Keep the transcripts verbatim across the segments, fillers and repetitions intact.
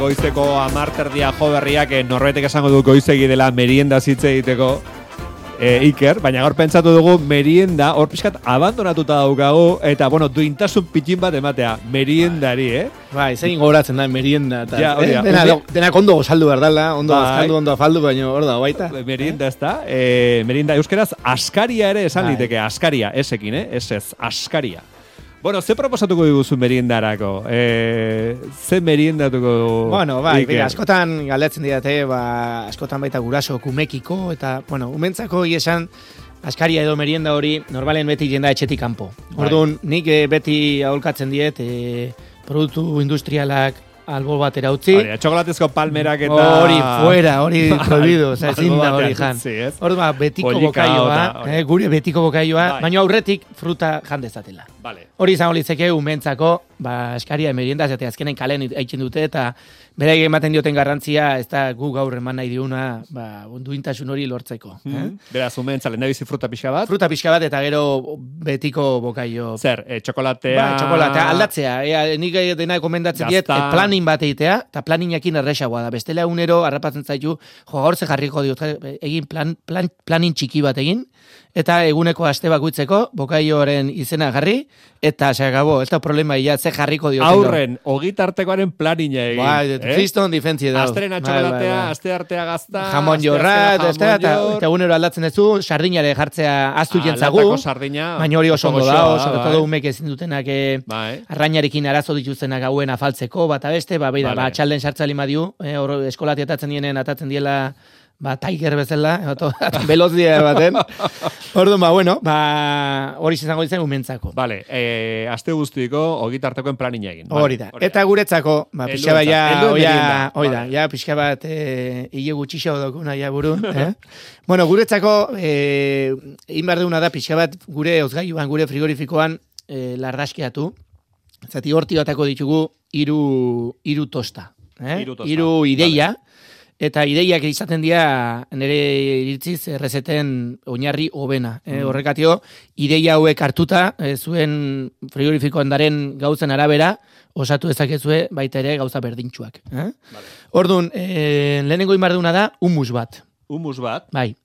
goizeko amarterdia jo berriak, norbetek esango du goizegi dela merienda zitze egiteko, E, Iker, baina gaur pentsatu dugu merienda, hor pixkat abandonatuta daukagu, eta, bueno, duintasun pitin bat ematea, meriendari, eh? Bai, zein goratzen da merienda, eta ja, eh, dena, dena ondo gozaldu berdala, ondo gozaldu, ondo afaldu, baina hor da, baita. Merienda ez da, e, merienda euskeraz, askaria ere esan bai. liteke, askaria, esekin, eh? Ez ez, askaria. Bueno, ze proposatuko diguzu meriendarako? E, ze meriendatuko dugu? Bueno, bai, bera, askotan galdetzen didate, ba, askotan baita guraso kumekiko, eta, bueno, umentzako esan askaria edo merienda hori normalen beti jenda etxetik kanpo. Orduan, nik e, beti aholkatzen diet, e, produktu industrialak albo batera utzi. Hori, txokolatezko palmerak eta... Hori, fuera, hori prohibido, oza, ezin da hori jan. Hori, ba, betiko bokaioa, eh, gure betiko bokaioa, baina aurretik fruta jan dezatela. Vale. Hori izango litzeke umentzako, ba, eskaria merienda, zate azkenen kalen aitzen dute, eta berai ematen dioten garrantzia, ez da gu gaur eman nahi diuna, ba, duintasun hori lortzeko. Mm -hmm. eh? Beraz, umentza, lehen bizi fruta pixka bat? Fruta pixka bat, eta gero betiko bokaio. Zer, e, txokolatea... Ba, txokolatea, aldatzea. Ea, nik dena komendatzen diet, e, planin bat eitea, eta planinakin erresagoa da. Bestela unero, harrapatzen zaitu, jo, gaur ze jarriko diot, egin plan, plan, planin txiki bat egin, eta eguneko aste bakuitzeko bokaioaren izena jarri, eta se acabó, ez da problema, ja, ze jarriko dioten. Aurren, ogitartekoaren planina egin. Bai, eh? Kriston difentzia da. Astrena txokolatea, aste artea gazta, jamon jorra, eta egunero aldatzen duzu, sardinare jartzea aztu jentzagu, baina hori oso ondo da, sobre todo umek ezin dutenak arrainarekin arazo dituztenak hauen afaltzeko, bat abeste, ba, beida, ba, txalden sartzali madiu, hor eskolatia atatzen dienen, atatzen diela, ba, tiger bezala, veloz dia baten. Orduan, ba, bueno, ba, hori izango ditzen umentzako. Vale, eh, aste guztiko ogitartekoen planina egin. Hori da. Eta guretzako, ba, pixka bat, ja, oia, hori da, ja, pixka bat, eh, hile gutxixo dokuna, ja, buru. Eh? Bueno, guretzako, eh, egin behar duguna da, pixka bat, gure ozgailuan, gure frigorifikoan, eh, lardaskeatu. Zati horti batako ditugu, iru, iru tosta. Eh? Iru tosta. Iru ideia. Vale. Eta ideiak izaten dira nire iritziz errezeten oinarri hobena. Mm. E, horrekatio, ideia hauek hartuta, e, zuen frigorifiko handaren gauzen arabera, osatu dezakezue baita ere gauza berdintxuak. Eh? Vale. Orduan, e, lehenengo inbarduna da, humus bat. Humus bat? Bai.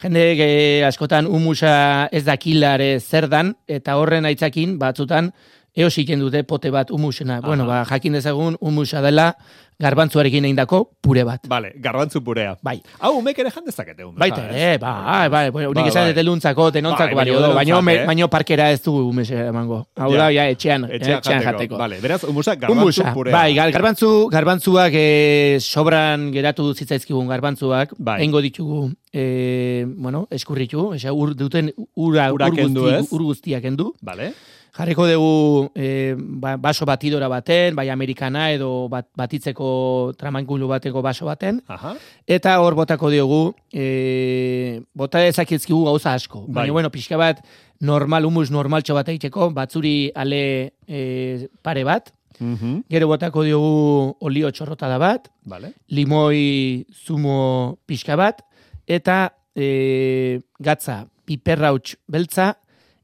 Jende e, askotan humusa ez dakilare zer dan, eta horren aitzakin batzutan, eosiken dute pote bat humusena. Aha. Bueno, ba, jakin dezagun humusa dela garbantzuarekin egindako pure bat. Vale, garbantzu purea. Bai. Hau, umek ere jan dezakete. Baita ere, bai, bai. Bueno, unik esan dut eluntzako, tenontzako balio do. Baina eh? baino parkera ez dugu humese emango. Hau da, ja, etxean, etxean, etxean jateko. Vale, beraz, humusa garbantzu purea. Bai, garbantzu, garbantzuak eh, sobran geratu zitzaizkigun garbantzuak, bai. Eingo ditugu, eh, bueno, eskurritu, esa, ur, duten ura, ur, guzti, ur guztiak endu. Vale. Jarriko dugu e, baso batidora baten, bai amerikana edo bat, batitzeko tramankulu bateko baso baten. Aha. Eta hor botako diogu, e, bota ezakizkigu gauza asko. Bai. Baina, bueno, pixka bat normal, humus normaltxo bat egiteko, batzuri ale e, pare bat. Uh-huh. Gero botako diogu olio txorrotada bat, vale. Limoi zumo pixka bat, eta e, gatza piperrauts beltza,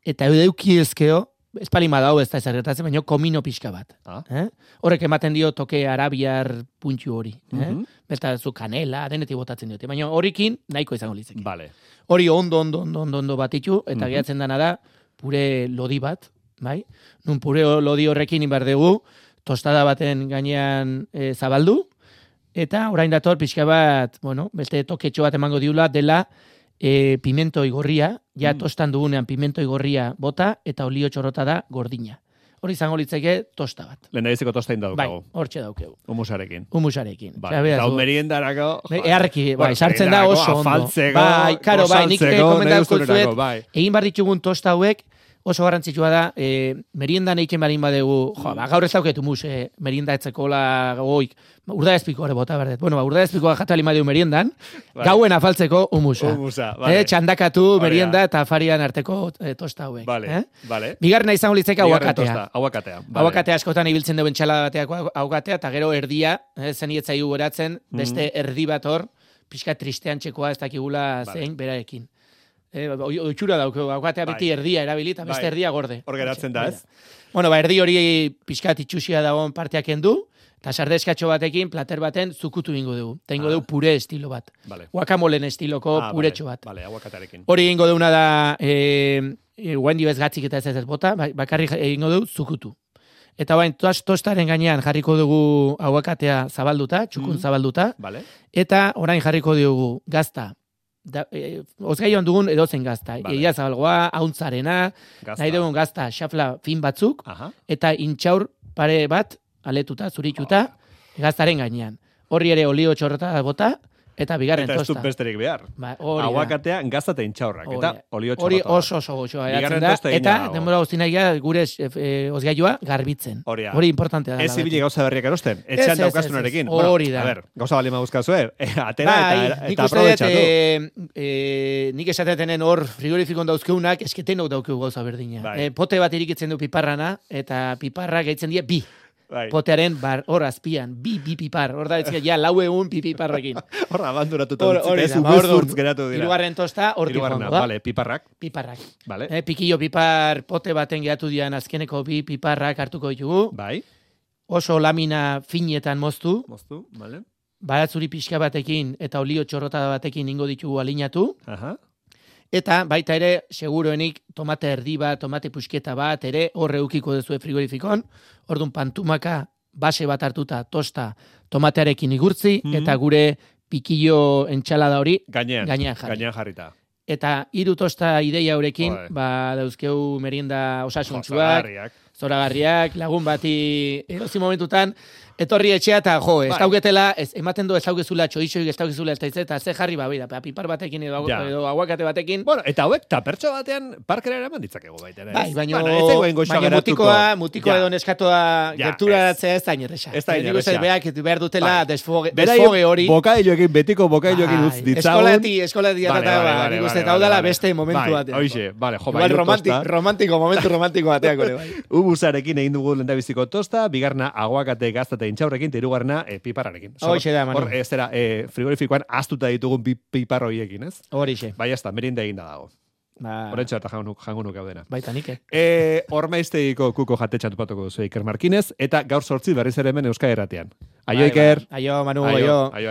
eta edeuki ezkeo, espalima dau ez da ezarretatzen, baina komino pixka bat. Ah. Eh? Horrek ematen dio toke arabiar puntxu hori. Uh-huh. Eh? Beta zu kanela, denetik botatzen diote. Baina horrekin nahiko izango litzeki. Vale. Hori ondo, ondo, ondo, ondo, ondo batitu, eta uh-huh. gehatzen dana da, pure lodi bat, bai? Nun pure lodi horrekin inbar dugu, tostada baten gainean e, zabaldu, eta orain dator pixka bat, bueno, beste toketxo bat emango diula, dela, E, pimento igorria, ja mm. tostan dugunean pimento igorria bota, eta olio txorrota da gordina. Hori izango litzeke tosta bat. Lehen daizeko tosta indaukago. Bai, hortxe daukegu. Humusarekin. Humusarekin. Bai, eta hau meriendarako... Earreki, bai, sartzen da oso ondo. Afaltzeko, bai, karo, bai, nik komendatuko zuet, bai. egin bar ditugun tosta hauek, oso garrantzitsua da, e, meriendan eiken barin badegu, jo, ba, gaur ez dauketu mus, e, merienda etzekola goik, urda ezpikoa ere bota berdet. Bueno, ba, urda ezpikoa jatu alimadeu meriendan, vale. Gauen afaltzeko humusa. Humusa, vale. E, txandakatu Orea. Merienda eta afarian arteko e, tosta hauek. Vale, eh? vale. Bigarren izango litzeka aguakatea. Aguakatea, vale. Aguakatea askotan ibiltzen duen txala bateako aguakatea, eta gero erdia, eh, zenietzaiu geratzen, beste mm. erdi bat hor, pixka tristean txekoa ez dakigula vale. Zein beraekin. Eh, oitxura daukeu, aguakatea beti bai. Erdia erabili, eta beste bai. Erdia gorde. Hor geratzen da, ez? Bueno, ba, erdi hori pixkat itxusia dagoen parteak endu, Eta sardeskatxo batekin, plater baten, zukutu ingo dugu. Eta ingo ah. dugu pure estilo bat. Vale. Guakamolen estiloko ah, puretxo vale. bat. Vale, aguakatearekin. Hori ingo duguna da, e, e, guendi bez gatzik eta ez ez bota, bakarri ingo dugu zukutu. Eta bain, tostaren gainean jarriko dugu aguakatea zabalduta, txukun mm. zabalduta. Vale. Eta orain jarriko dugu gazta. Da, e, ozgaioan dugun edozen gazta. Vale. Egia zabalgoa, hauntzarena, nahi dugun gazta, xafla fin batzuk, Aha. eta intxaur pare bat, aletuta, zurituta, oh. gaztaren gainean. Horri ere olio txorrota bota, eta bigarren eta tosta. Eta ez du besterik behar. Ba, aguakatea gazta eta intxaurrak, eta olio txorrota. Hori oso oso goxoa eratzen da, eta denbora guztinaia gure e, ozgailua garbitzen. Horia. Hori importantea da. Ez ibili gauza berriak erosten, etxean daukazunarekin. Hori da. A ber, gauza bali maguzkazue, atera bai, eta, eta aprobetxatu. E, e, nik esatetenen hor frigorifikon dauzkeunak, esketenok daukeu gauza berdina. Bai. E, pote bat irikitzen du piparrana, eta piparra gaitzen dira bi. Bai. Potearen bar, hor azpian, bi, bi pipar, hor da, ja, lau egun pi piparrakin. Hor abandonatuta dutzik, ez ubezurtz geratu dira. Irugarren tosta, hor tifongo da. Vale, piparrak. Piparrak. Vale. Eh, pikillo pipar, pote baten geratu dian azkeneko bi piparrak hartuko ditugu. Bai. Oso lamina finetan moztu. Moztu, vale. Baratzuri pixka batekin eta olio txorrota batekin ingo ditugu alinatu. Aha. Eta baita ere, seguruenik, tomate erdi bat, tomate pusketa bat, ere horre eukiko dezue frigorifikon. Orduan pantumaka base bat hartuta tosta tomatearekin igurtzi, mm. eta gure pikillo entxalada hori gainean, gainean jarri. Gainean jarrita. Eta hiru tosta ideia horrekin, Oe. ba, dauzkeu merienda osasuntzuak, zoragarriak, lagun bati erozi momentutan, etorri etxea eta jo, ez dauketela, ez, ematen du ez daukezula txoixoik, ez daukezula ez eta ze jarri ba, bida, pipar batekin edo, ja. edo aguakate batekin. Bueno, eta hauek, tapertxo batean, parkera eraman ditzakegu baita. Bai, baina bueno, mutikoa, mutikoa ja. edo neskatoa ja, gerturatzea ez da inerresa. Ez da inerresa. Beak behar dutela bai. desfoge, desfoge hori. Bokailoekin, betiko bokailoekin utz ditzagun. Eskolati, eskolati atata, nik uste, hau dela beste momentu batean. Hoxe, bale, jo, bai, romantiko, momentu romantiko batean gore, bai. Ubusarekin egin dugu lendabiziko tosta, bigarna aguakate gaztate intxaurrekin, hirugarrena e, piparrarekin. Hoxe da, Manu. Hor, ez dira, e, frigorifikoan astuta ditugun bi, piparroiekin, ez? Horixe. Bai, ez da, merinda egin da dago. Ba... Horentxo eta jangunuk hau dena. Baita nik, eh? E, Ormaiztegiko kuko jatetxatu patuko duzu Iker Markinez, eta gaur sortzi berriz ere hemen Euskal Herratian. Aio, Iker. Aio, Manu, aio. Aio, aio.